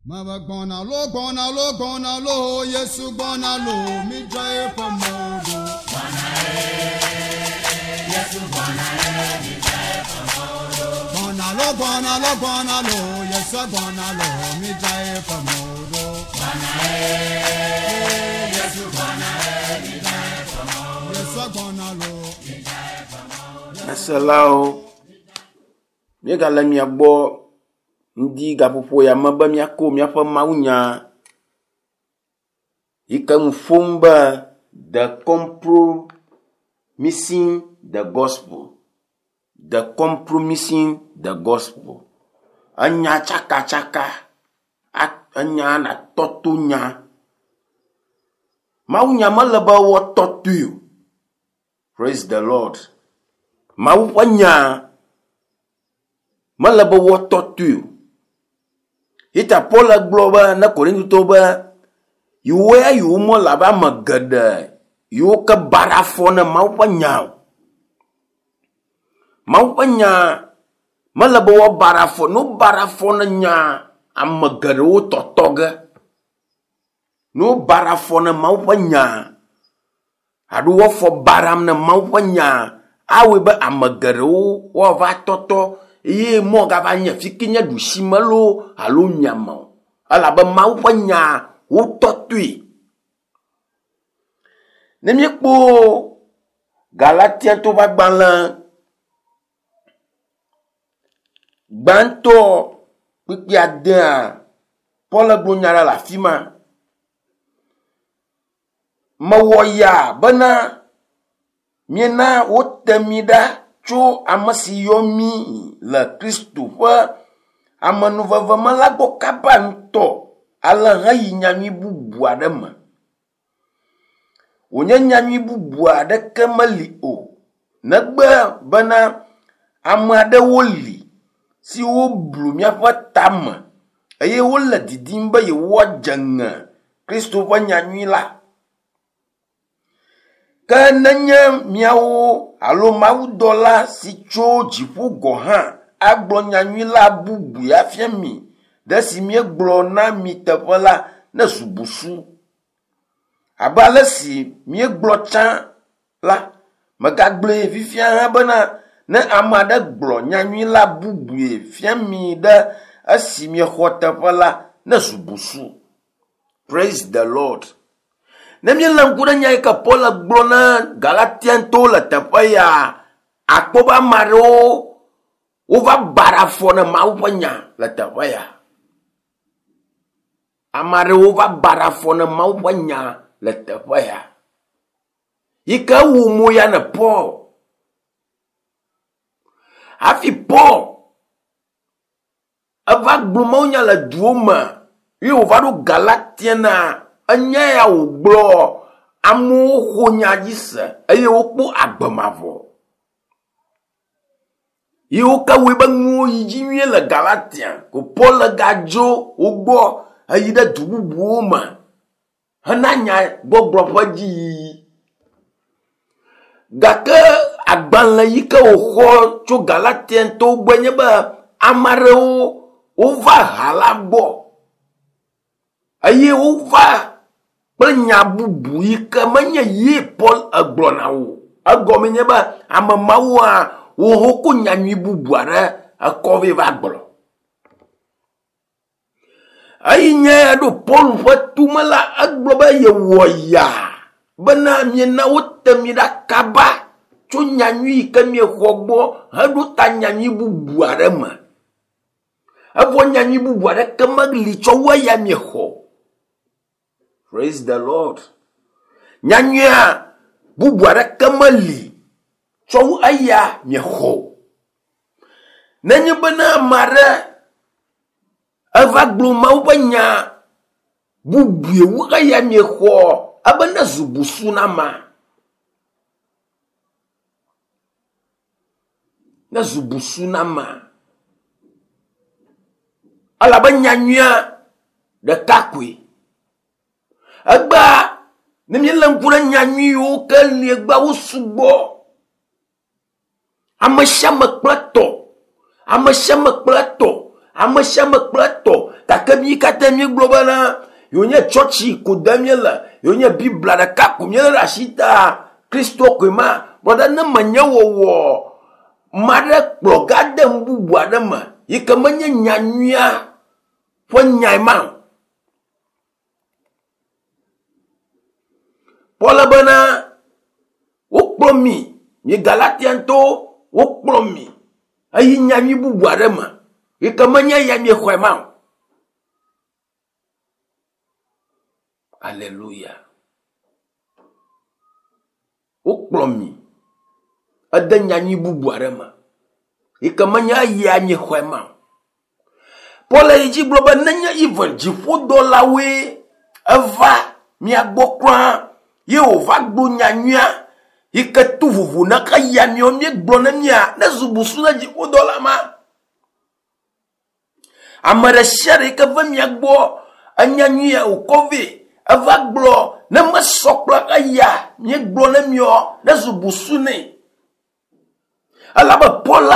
Mava gbɔna lo gbɔna lo gbɔna lo Yesu gbɔna lo mi dza eƒe mɔ ɖo. Gbɔna lo gbɔna lo gbɔna lo Yesu gbɔna lo mi dza eƒe mɔ ɖo. Yesu gbɔna lo. Nyaselawo, míegale mia gbɔ ŋdi gaƒoƒo ya me be míako míaƒe mawunya yi ke nu ƒom be the compromising the gospel. The compromising the gospel. Enya tsakatsaka, enya natɔto nya. Mawunya mele be woatɔtoe o. Praise the Lord. Mawu ƒe nya mele be woatɔtoe o. Yita Paul gblɔ be ne Korintotɔwo be yewo ya yewo mele abe ame geɖe yiwo ke baɖa afɔ ne Mawu ƒe nya o. Mawu ƒe nya mele be woabaɖa afɔ. Ne wobaɖa afɔ ne nya ame geɖewo tɔtɔ ge. Ne wobaɖa afɔ ne Mawu ƒe nya alo woafɔ baɖam ne Mawu ƒe nya awɔe be ame geɖewo woava tɔtɔ eye mɔ gava nye fi ke nye ɖusime loo alo miame o. Elabe Mawu ƒe nya wotɔtɔe. Ne míekpɔ Galatiatɔwo ƒe agbalẽ gbãtɔ kpukpui adea, Paul gblɔ nya ɖe le afi ma. Mewɔ ya bena miena wote mi ɖa tso ame si yɔ mi le Kristo ƒe amenuveve me la gbɔ kaba ŋutɔ ale heyi nyanyui bubu aɖe me. Wònye nyanyui bubu aɖeke meli o negbe bena ame aɖewo li siwo blu míaƒe tame eye wole didim be yewoadze ŋe Kristo ƒe nyanyui la. Ke nenye míawo alo mawudɔla si tso dziƒo gɔ̃ hã agblɔ nyanyui la bubui afia mi ɖe si míegblɔ na mi teƒe la, nezu busu. Abe ale si míegblɔ tsã la, megagblɔe fifia hã bena ne ame aɖe gblɔ nyanyui la bubui fia mi ɖe esi miexɔ teƒe la, nezu busu. Praise the Lord. Ne míelé ŋku ɖe nya yi ke Paul gblɔ na Galatiantɔwo le teƒe ya, akpɔ be ame aɖewo wova baɖa afɔ ne Mawu ƒe nya le teƒe ya. Ame aɖewo va baɖa afɔ ne Mawu ƒe nya le teƒe ya. Yi ke wu mo ya ne Paul. Hafi Paul eva gblɔ mawunya le duwo me ye wòva ɖo Galatiana, enya ya wògblɔ amewo xɔ nya dzi se eye wokpɔ agbe mavɔ. Ye wo ke wɔe be nuwo yi dzi nyuie le Galatia ko Paul gadzo wo gbɔ heyi ɖe du bubuwo me hena nya gbɔgblɔ ƒe dziyiyi. Gake agbalẽ yi ke wòxɔ tso Galatiantɔwo gbɔe nye be ame aɖewo wova ha la gbɔ eye wova kple nya bubu yi ke menye ye Paul egblɔna o. Egɔme nye be ame mawoa woho ko nyanyui bubu aɖe ekɔ vɛ va gblɔ. Eyi nye ɖo Paul ƒe tume la, egblɔ be yewɔ ya bena miena wote mi ɖa kaba tso nyanyui yi ke miexɔ gbɔ heɖo ta nyanyui bubu aɖe me. Evɔ nyanyui bubu aɖeke meli tsɔ wu eya miexɔ. Praise the Lord. Nyanyuia bubu aɖeke meli tsɔ wu eya miexɔ. Nenye bena ame aɖe eva gblɔ Mawu ƒe nya bubue wu eya miexɔ ebe nezu busu na amea. Nezu busu na amea. Elabe nyanyuia ɖeka koe. Egbea ne míelé ŋku ɖe nyanyui yiwo ke li egbea wo sugbɔ. Ame sia ame kple tɔ. Ame sia ame kple tɔ. Ame sia ame kple etɔ. Gake mí katã míegblɔ bena yewonye tsɔtsi ko dem míele, yewonye Biblia ɖeka ko míelé ɖe asi ta Kristo koe ma. Brɔda ne menye wɔwɔ ma ɖe kplɔ ga de nu bubu aɖe me yi ke menye nyanyuia ƒe nyae ma o. Paul bena wokplɔ mi, mi Galatiantɔwo, wokplɔ mi eyi nyanyui bubu aɖe me yi ke menye eya miexɔe ma o. Aleluya. Wokplɔ mi ede nyanyui bubu aɖe me yi ke menye eya miexɔe ma o. Paul yi dzi gblɔ be nenye even dziƒodɔlawoe eva mia gbɔ kura ye wòva gblɔ nyanyuia yi ke to vovo na eya miawo míegblɔ ne mia ne zu busu na dziƒodɔla ma. Ame ɖe sia ɖe yi ke ve mia gbɔ enya nyuia wòkɔ vɛ eva gblɔ ne mesɔ kple eya míegblɔ ne miɔ ne zu busu nɛ. Elabe Paul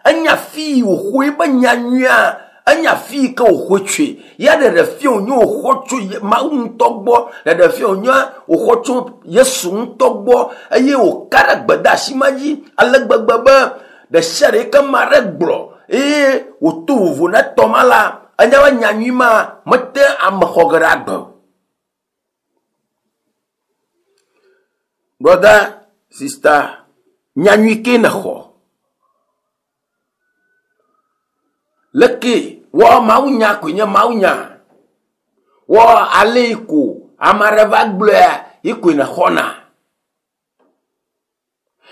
enya fi yi wòxɔ eƒe nya nyuia, enya fi yi ke wòxɔe tsoe. Ya ɖeɖe fia wònye wòxɔ tso Mawu ŋutɔ gbɔ, ɖeɖe fia wònye wòxɔ tso Yesu ŋutɔ gbɔ eye wòka ɖe gbedeasi ma dzi ale gbegbe be ɖe sia ɖe yi ke ame aɖe gblɔ eye wòto vovo na etɔ ma la, enya be nya nyui ma mete ame xɔ ge ɖe agbe o. Brɔda, sista, nya nyui ke nèxɔ. Leke wɔ mawunya koe nye mawunya. Wɔ ale yi ko ame aɖe va gblɔea yi koe nèxɔna.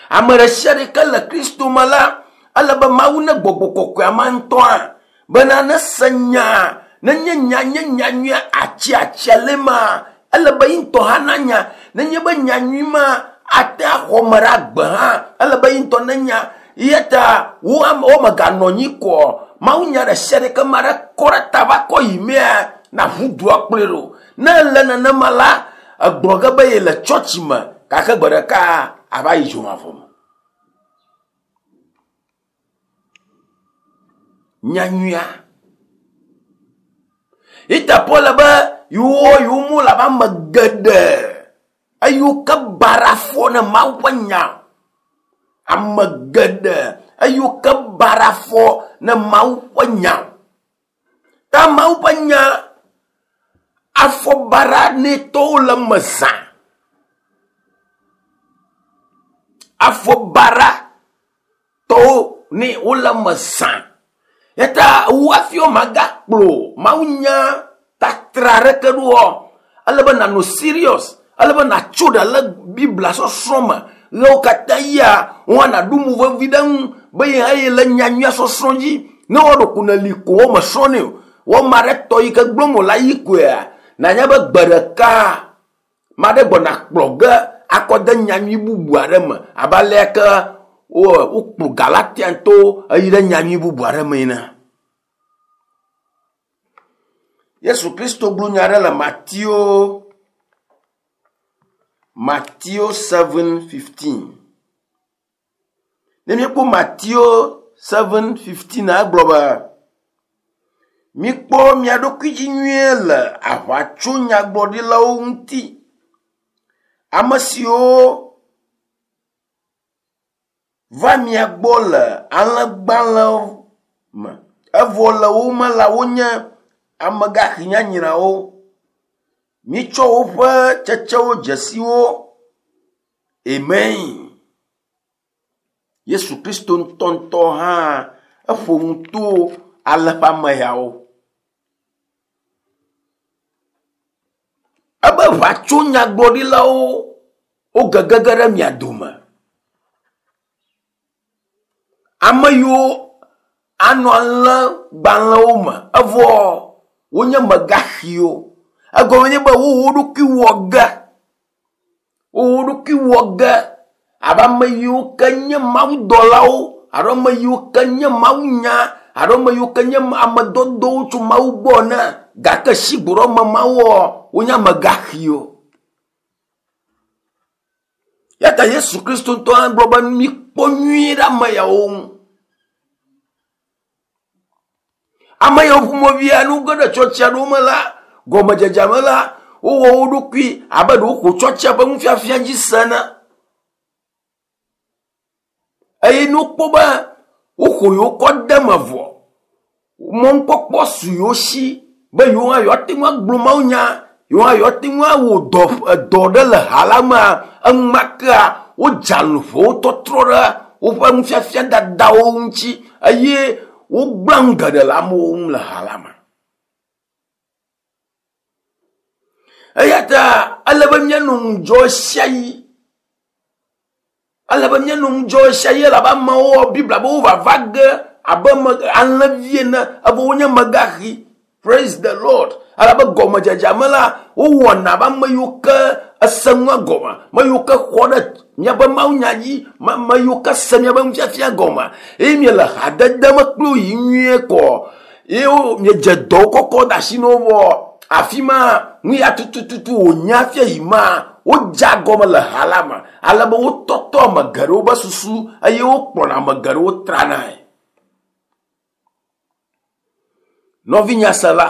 Ame ɖe sia ɖe ke le Kristo me la, ele be Mawu ne gbɔgbɔ kɔkɔea ma ŋutɔa bena ne se nya, nenye nya nye nya nyui atsi atsia le ma, ele be yi ŋutɔ hã nanya. Nenye be nya nyui ma ate axɔ ame ɖe agbe hã, ele be yi ŋutɔ nenya. Eya ta wo ame wo meganɔ anyi kɔ Mawu nya ɖe sia ɖe ke ma ɖe kɔ ɖe ta va kɔ yi mea, na ʋu dua kplɔe ɖo. Ne ele nenema la, egblɔ ge be yele tsɔtsi me gake gbe ɖeka ava yi dzomavɔ me. Nyanyuia. Ita Paul be yewo yewo mu le abe ame geɖe eyiwo ke bara afɔ ne Mawu ƒe nya. Ame geɖe eyiwo ke bara afɔ ne Mawu ƒe nya. Ta Mawu ƒe nya afɔ baɖa nɛ tɔwo le eme zã. Afɔ baɖa tɔwo nɛ wole eme zã. Eya ta wu hafi womagakplɔ mawunya tatra aɖeke ɖoa, ele be nànɔ serious, ele be nàtso ɖe le Biblia sɔsrɔ̃ me. Ɣewo katã yia, wò hã nàɖo mo vevi ɖe eŋu be ye hã yele nyanyuia sɔsrɔ̃ dzi. Ne wɔ ɖeko nèli ko wo mesrɔ̃nɛ o. Wɔ ame aɖe tɔ yi ke gblɔm wòle ayi koea, nànya be gbe ɖeka ame aɖe gbɔna kplɔ ge akɔ de nyanyui bubu aɖe me abe alea ke wokplɔ Galatiantɔwo eyi ɖe nyanyui bubu aɖe me ene. Yesu Kristo gblɔ nya aɖe le Mateo Mateo 7:15. Ne míekpɔ Mateo 7:15 egblɔ be mikpɔ mia ɖokui dzi nyuie le aʋatsonyagblɔɖilawo ŋuti. Ame siwo va mia gbɔ le alẽgbalẽ me evɔ le wo me la wonye amegaxi nyanyrawo. Mitsɔ woƒe tsetsewo dze si wo. Amen. Yesu Kristo ŋutɔŋutɔ hã eƒo nu to ale ƒe ame yawo. Ebe ʋatsonyagblɔɖilawo wogegege ɖe mia dome. Ame yiwo anɔ alẽgbalẽwo me evɔ wonye megaxiwo. Egɔme nye be wo wo ɖokui wɔ ge. Wo wo ɖokui wɔ ge abe ame yiwo ke nye mawudɔlawo alo ame yiwo ke nye mawunya alo ame yiwo ke nye ame dɔdɔwo tso Mawu gbɔ ene gake sigbe ɖe ame mawoa wonye amegaxiwo. Ya ta Yesu Kristo ŋutɔ hã gblɔ be mikpɔ nyuie ɖe ame yawo ŋu. Ame yawo ƒomevi ne woge ɖe tsɔtsi aɖewo me la, gɔmedzedzea me la, wowɔ wo ɖokui abe ɖe woxɔ tsɔtsia ƒe nufiafia dzi se ene. Eye ne wokpɔ be woxɔ yewo kɔ de eme vɔ, mɔnukpɔkpɔ su yewo si be yewo hã yewoate ŋu agblɔ mawunya, yewo hã yewoate ŋu awɔ dɔ edɔ ɖe le ha la mea, enumakea wodze alũƒe wotɔtrɔ ɖe woƒe nufiafia dadawo ŋuti eye wogblẽ nu geɖe le amewo ŋu le ha la me. Eya ta ele be míanɔ ŋudzɔ ɣesiaɣi. Ele be míanɔ ŋudzɔ ɣesiaɣi elabe amewo wɔ Biblia be wovava ge abe alẽvi ene evɔ wonye megaxi. Praise the Lord. Elabe gɔmedzedzea me la, wowɔna abe ame yiwo ke ese nua gɔme, ame yiwo ke xɔ ɖe míaƒe mawunya dzi, ame yiwo ke se míaƒe nufiafia gɔme eye miele hadede me kpli wo yi nyuie kɔ eye miedze dɔwo kɔkɔ de asi na wo vɔ afi ma nu ya tutututu wònye hafi yi ma wodze agɔme le ha la me ale be wotɔtɔ ame geɖewo be susu eye wokplɔna ame geɖewo tranae. Nɔvinyasela,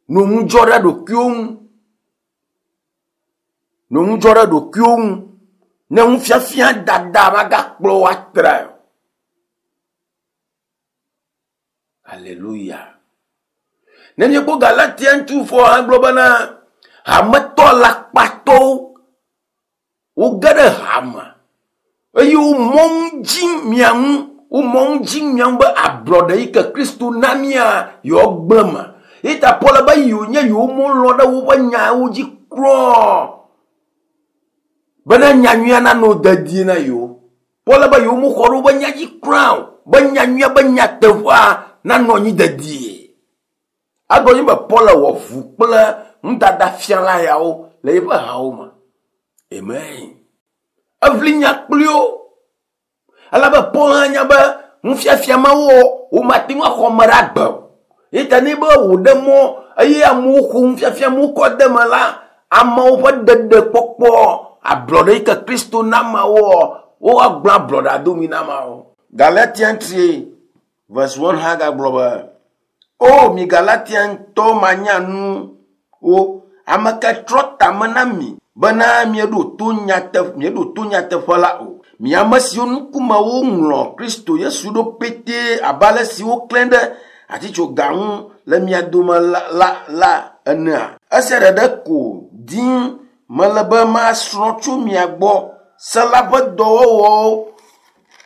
nɔ ŋudzɔ ɖe ɖokuiwo ŋu. Nɔ ŋudzɔ ɖe ɖokuiwo ŋu ne nufiafia dada magakplɔ wò atrae o. Aleluya. Ne míekpɔ Galatia ŋutsu hã gblɔ bena hametɔ alakpatɔwo Woge ɖe hame eye womɔ nu dzi mia ŋu, womɔ nu dzi mia ŋu be ablɔɖe yi ke Kristo na mia yewoagblẽ me. Eyi ta Paul be yewo nye yewo melɔ̃ ɖe woƒe nyawo dzi kura bena nyanyuia nanɔ dedie na yewo. Paul be yewo mexɔ ɖe woƒe nya dzi kura o be nyanyuia be nyateƒea nanɔ anyi dedie. Egblɔ nyi be Paul wɔ vu kple nudadafiala yawo le eƒe hawo me. Amen. Eʋli nya kpli wo. Elabe Paul hã nya be nufiafia mawo womate ŋu axɔ ame ɖe agbe o. Eyi ta ne be wòɖe mɔ eye amewo xɔ nufiafia mawo kɔ de eme la, amewo ƒe ɖeɖekpɔkpɔ, ablɔɖe yi ke Kristo na ameawoa, woagblẽ ablɔɖea domi na ameawo. Galatian 3 verse 1 hã gagblɔ be, O mi Galatiantɔ manyanuwo, ame ka trɔ tame na mi bena mieɖo to nyateƒe, mieɖo to nyateƒe la o? Mi ame siwo ŋkume woŋlɔ Kristo Yesu ɖo petee abe ale si woklãe ɖe atitsoga ŋu le mia dome la, la, la enea? Esia ɖeɖe ko dim mele be masrɔ̃ tso mia gbɔ, se la ƒe dɔwɔwɔwo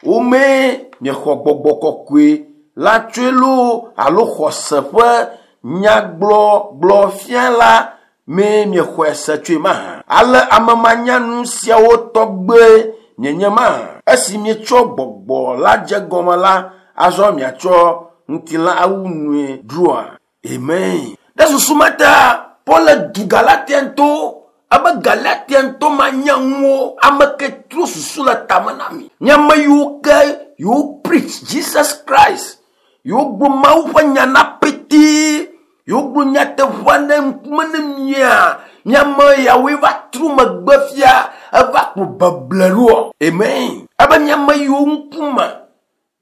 Womee miexɔ gbɔgbɔ kɔkɔe la tsoe loo alo xɔse ƒe nyagblɔgblɔ fia la mee miexɔe se tsoe mahã? Ale ame manyanu siawo tɔgbe mienye mahã? Esi mietsɔ gbɔgbɔ la dze gɔme la, azɔ miatsɔ ŋutilã awu nue dzroa? Amen. Ɖe susu ma ta Paul le du Galatiantɔwo ebe Galatiantɔ manyanuwo ame ke trɔ susu le tame na mi. Mi ame yiwo ke yewo preach Jesus Christ, yewo gblɔ Mawu ƒe nya na petee, yewo gblɔ nyateƒea ne ŋkume ne mia, mi ame yawoe va trɔ megbe fia eva kplɔ beble ɖoa. Amen. Ebe mi ame yiwo ŋkume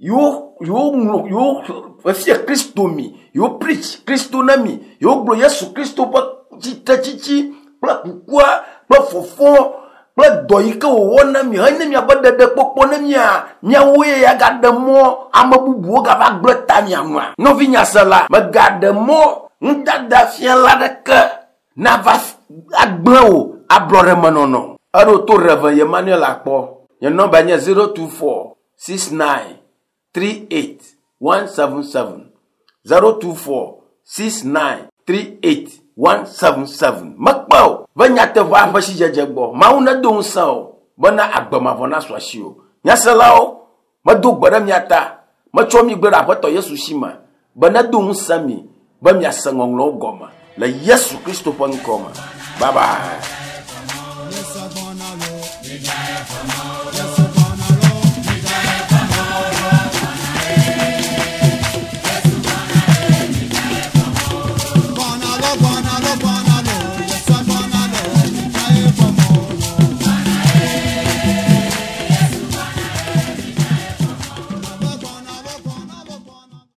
yewo yewo ŋlɔ yewo efia Kristo mi, yewo preach Kristo na mi, yewo gblɔ Yesu Kristo ƒe tsitretsitsi kple kukua kple fɔfɔ kple dɔ yi ke wòwɔ na mi henye miaƒe ɖeɖekpɔkpɔ ne mia miawoe ya gaɖe mɔ ame bubuwo gava gblẽ ta mia ŋua. Nɔvi nyasela, mègaɖe mɔ nudadafiala aɖeke nava agblẽ wò ablɔɖemenɔnɔ. Eɖo to Rev. Emmanuel akpɔ. Nye nɔmba nye 024 69 38 177 024 69 38 177. Mekpe o be nyateƒea ƒe sidzedze gbɔ. Mawu nedo ŋusẽ o bena agbe mavɔ nasu asiwò. Nyaselawo, medo gbe ɖe mia ta. Metsɔ mi gblẽ ɖe Aƒetɔ Yesu si me be nedo ŋusẽ mi be miase ŋɔŋlɔwo gɔme le Yesu Kristo ƒe ŋkɔ me. Bye bye.